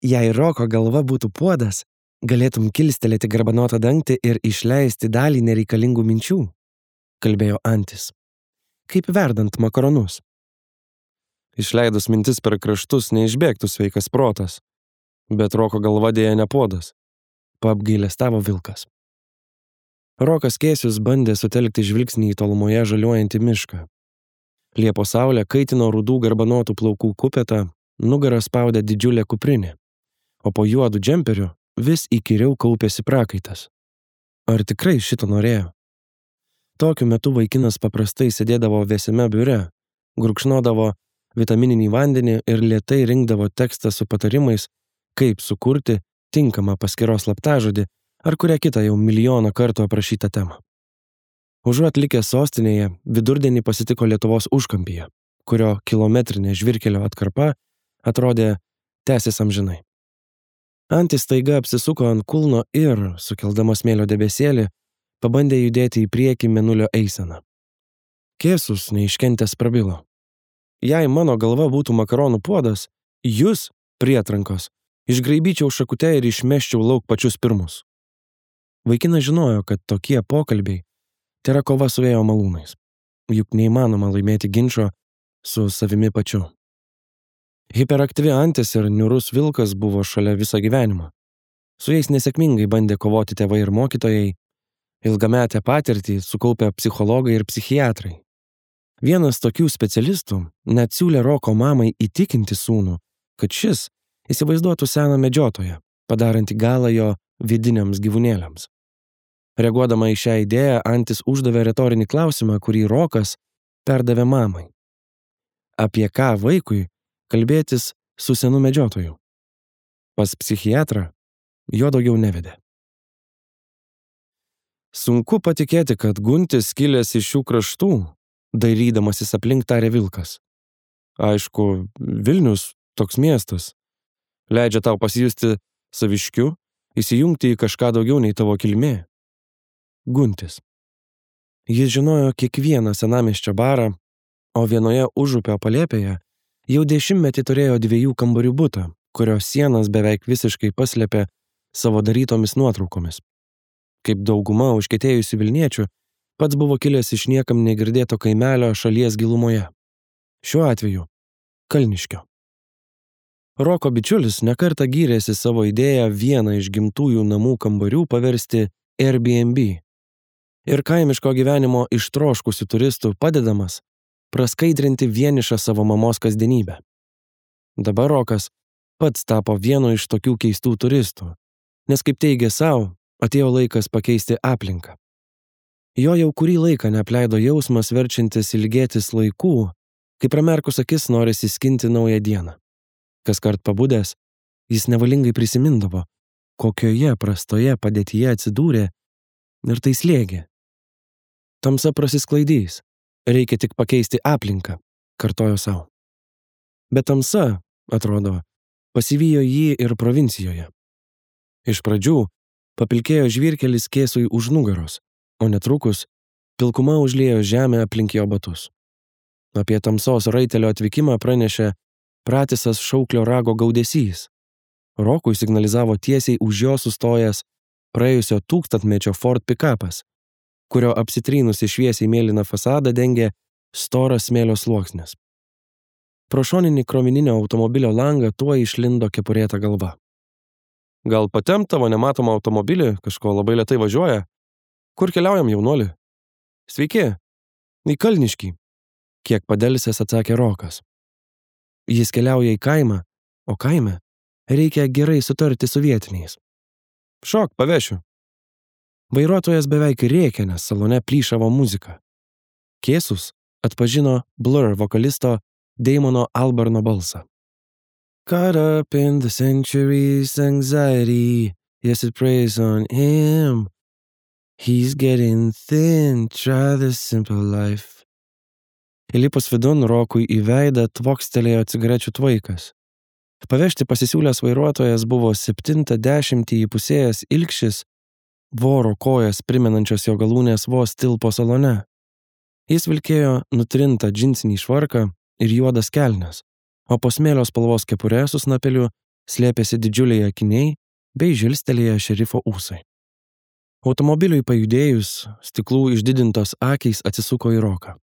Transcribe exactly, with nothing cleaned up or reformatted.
Jei Roko galva būtų puodas, galėtum kilstelėti garbanotą dangtį ir išleisti dalį nereikalingų minčių, kalbėjo Antis. Kaip verdant makaronus. Išleidus mintis per kraštus neišbėgtų sveikas protas, bet Roko galva dėja ne puodas, paapgailestavo vilkas. Rokas Kėsius bandė sutelkti žvilgsnį į tolumoje žaliuojantį mišką. Liepos saulė kaitino rudų garbanotų plaukų kupetą, nugarą spaudė didžiulė kuprinė, o po juodu džemperiu vis įkyriau kaupėsi prakaitas. Ar tikrai šito norėjo? Tokiu metu vaikinas paprastai sėdėdavo vėsiame biure, gurkšnodavo vitamininį vandenį ir lėtai rinkdavo tekstą su patarimais, kaip sukurti tinkamą paskyros slaptažodį ar kurią kitą jau milijoną kartų aprašytą temą. Užuot likęs sostinėje, vidurdienį pasitiko Lietuvos užkampyje, kurio kilometrinė žvyrkelio atkarpa atrodė tęsis amžinai. Antis staiga apsisuko ant kulno ir, sukeldamas smėlio debesėlį, pabandė judėti į priekį mėnulio eiseną. Kėsus neiškentęs prabilo. Jei mano galva būtų makaronų puodas, jūs, prietrankos, išgraibyčiau šakute ir išmeščiau lauk pačius pirmus. Vaikinas žinojo, kad tokie pokalbiai tai yra kova su vėjo malūnais, juk neįmanoma laimėti ginčo su savimi pačiu. Hiperaktyvi Antis ir niūrus vilkas buvo šalia visą gyvenimą. Su jais nesėkmingai bandė kovoti tėvai ir mokytojai, ilgametę patirtį sukaupę psichologai ir psichiatrai. Vienas tokių specialistų net siūlė Roko mamai įtikinti sūnų, kad šis įsivaizduotų seną medžiotoją, padarantį galą jo vidiniams gyvūnėliams. Reaguodama į šią idėją, Antis uždavė retorinį klausimą, kurį Rokas perdavė mamai. Apie ką vaikui kalbėtis su senu medžiotoju? Pas psichiatrą jo daugiau nevedė. Sunku patikėti, kad Guntis kilęs iš šių kraštų, dairydamasis aplink tarė vilkas. Aišku, Vilnius, toks miestas, leidžia tau pasijusti saviškiu, įsijungti į kažką daugiau nei tavo kilmė. Guntis. Jis žinojo kiekvieną senamiesčio barą, o vienoje užupio palėpėje jau dešimtmetį turėjo dviejų kambarių butą, kurios sienas beveik visiškai paslėpė savo darytomis nuotraukomis. Kaip dauguma užkietėjusių Vilniečių, pats buvo kilęs iš niekam negirdėto kaimelio šalies gilumoje. Šiuo atveju Kalniškio. Roko bičiulis nekartą gyrėsi savo idėją vieną iš gimtųjų namų kambarių paversti Airbnb. Ir kaimiško gyvenimo ištroškusių turistų padedamas praskaidrinti vienišą savo mamos kasdienybę. Dabar Rokas pats tapo vienu iš tokių keistų turistų, nes kaip teigė savo, atėjo laikas pakeisti aplinką. Jo jau kurį laiką neapleido jausmas verčiantis ilgėtis laikų, kai pramerkus akis norisi skinti naują dieną. Kaskart pabudęs, jis nevalingai prisimindavo, kokioje prastoje padėtyje atsidūrė ir tai slėgė. Tamsa prasisklaidys, reikia tik pakeisti aplinką, kartojo savo. Bet tamsa, atrodo, pasivijo jį ir provincijoje. Iš pradžių papilkėjo žvyrkelis Kėsui už nugaros, o netrukus pilkuma užliejo žemę aplink jo batus. Apie tamsos raitelio atvykimą pranešė pratisas šauklio rago gaudesys. Rokui signalizavo tiesiai už jo sustojęs praėjusio tūkstantmečio Ford pikapas, kurio apsitrynusi šviesiai mėlyną fasadą dengė storas smėlio sluoksnis. Pro šoninį krovininio automobilio langą tuo išlindo kepurėta galva. Gal patempt tavo nematomą automobilį, kažko labai lėtai važiuoja? Kur keliaujam, jaunuoli? Sveiki, į Kalniškį, kiek padelsęs atsakė Rokas. Jis keliauja į kaimą, o kaime reikia gerai sutarti su vietiniais. Šok, pavešiu. Vairuotojas beveik rėkė, nes salone plyšavo muzika. Kėsus atpažino Blur vokalisto Damono Albarno balsą. Caught up in the century's anxiety, yes it preys on him. He's getting thin, try the simple life. Įlipus vidun Rokui į veidą tvokstelėjo cigarečių tvaikas. Pavežti pasisiūlęs vairuotojas buvo septintą dešimtį įpusėjęs ilgšis, voro kojas primenančios jo galūnės vos tilpo salone. Jis vilkėjo nutrintą džinsinį švarką ir juodas kelnes, o po smėlio spalvos kepure su snapeliu slėpėsi didžiuliai akiniai bei žilstelėję šerifo ūsai. Automobiliui pajudėjus, stiklų išdidintos akys atsisuko į Roką.